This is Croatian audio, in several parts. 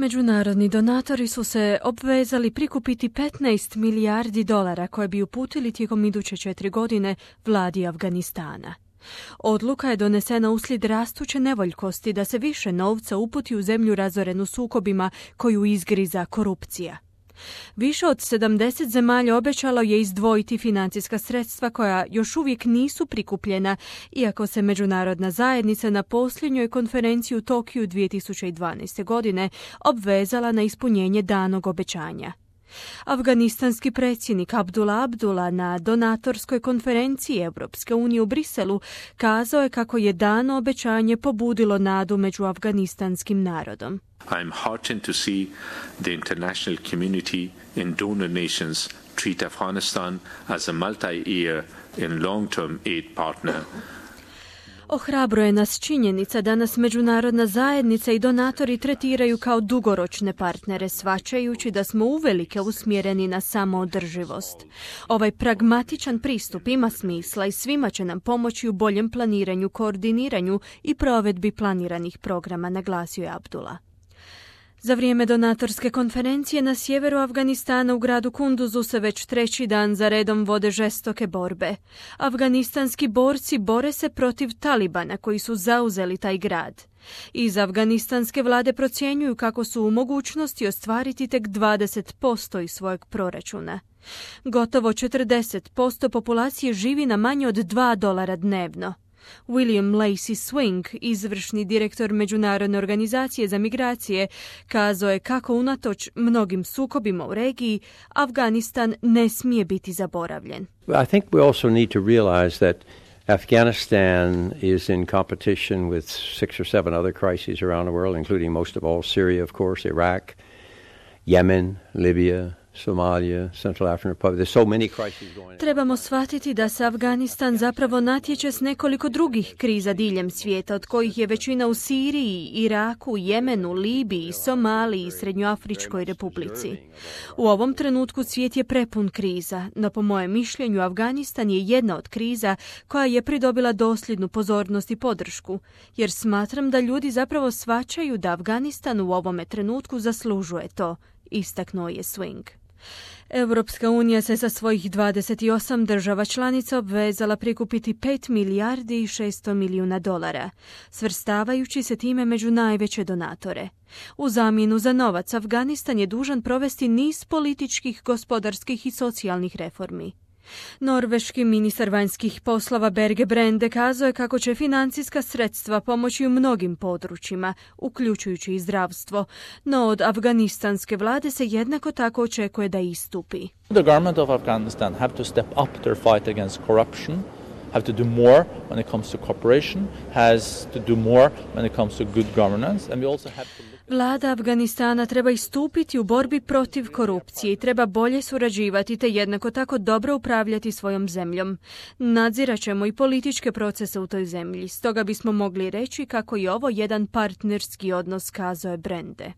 Međunarodni donatori su se obvezali prikupiti 15 milijardi dolara koje bi uputili tijekom iduće 4 godine vladi Afganistana. Odluka je donesena uslijed rastuće nevoljkosti da se više novca uputi u zemlju razorenu sukobima koju izgriza korupcija. Više od 70 zemalja obećalo je izdvojiti financijska sredstva koja još uvijek nisu prikupljena, iako se međunarodna zajednica na posljednjoj konferenciji u Tokiju 2012. godine obvezala na ispunjenje danog obećanja. Afganistanski predsjednik Abdullah na donatorskoj konferenciji Europske unije u Briselu kazao je kako je dano obećanje pobudilo nadu među afganistanskim narodom. I'm heartened to see the international community and donor nations treat Afghanistan as a multi-year and long-term aid partner. Ohrabruje nas činjenica da nas međunarodna zajednica i donatori tretiraju kao dugoročne partnere, shvaćajući da smo uvelike usmjereni na samoodrživost. Ovaj pragmatičan pristup ima smisla i svima će nam pomoći u boljem planiranju, koordiniranju i provedbi planiranih programa, naglasio je Abdullah. Za vrijeme donatorske konferencije na sjeveru Afganistana u gradu Kunduzu se već 3. dan za redom vode žestoke borbe. Afganistanski borci bore se protiv Talibana koji su zauzeli taj grad. Iz afganistanske vlade procjenjuju kako su u mogućnosti ostvariti tek 20% iz svojeg proračuna. Gotovo 40% populacije živi na manje od $2 dnevno. William Lacey Swing, izvršni direktor Međunarodne organizacije za migracije, kazao je kako unatoč mnogim sukobima u regiji, Afganistan ne smije biti zaboravljen. I think we also need to realize that Afghanistan is in competition with 6 or 7 other crises around the world, including most of all Syria, of course, Iraq, Yemen, Libya, Somalia, Central African Republic. There's so many crises going on. Trebamo shvatiti da se Afganistan zapravo natječe s nekoliko drugih kriza diljem svijeta, od kojih je većina u Siriji, Iraku, Jemenu, Libiji, Somaliji i Srednjoafričkoj republici. U ovom trenutku svijet je prepun kriza, no po mojem mišljenju Afganistan je jedna od kriza koja je pridobila dosljednu pozornost i podršku, jer smatram da ljudi zapravo shvaćaju da Afganistan u ovome trenutku zaslužuje to, istaknuo je Swing. Europska unija se sa svojih 28 država članica obvezala prikupiti 5 milijardi i 600 milijuna dolara, svrstavajući se time među najveće donatore. U zamjenu za novac, Afganistan je dužan provesti niz političkih, gospodarskih i socijalnih reformi. Norveški ministar vanjskih poslova Berge Brende kazao je kako će financijska sredstva pomoći u mnogim područjima, uključujući i zdravstvo, no od afganistanske vlade se jednako tako očekuje da istupi. The government of Afghanistan have to step up their fight against corruption, have to do more when it comes to cooperation, has to do more when it comes to good governance, and we also have to Vlada Afganistana treba istupiti u borbi protiv korupcije i treba bolje surađivati te jednako tako dobro upravljati svojom zemljom. Nadzirat ćemo i političke procese u toj zemlji, stoga bismo mogli reći kako je ovo jedan partnerski odnos, kazao je Brende.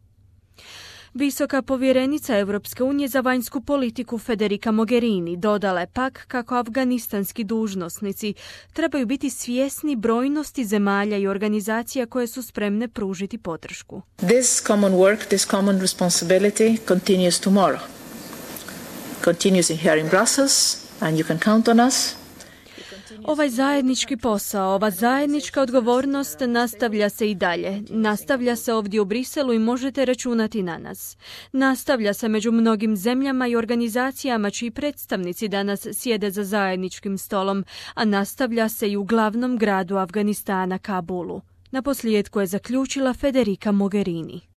Visoka povjerenica Europske unije za vanjsku politiku Federica Mogherini dodala je pak kako afganistanski dužnosnici trebaju biti svjesni brojnosti zemalja i organizacija koje su spremne pružiti podršku. This common work, this common responsibility continues tomorrow. Continues here in Brussels and you can count on us. Ovaj zajednički posao, ova zajednička odgovornost nastavlja se i dalje. Nastavlja se ovdje u Briselu i možete računati na nas. Nastavlja se među mnogim zemljama i organizacijama čiji predstavnici danas sjede za zajedničkim stolom, a nastavlja se i u glavnom gradu Afganistana, Kabulu. Naposljetku je zaključila Federica Mogherini.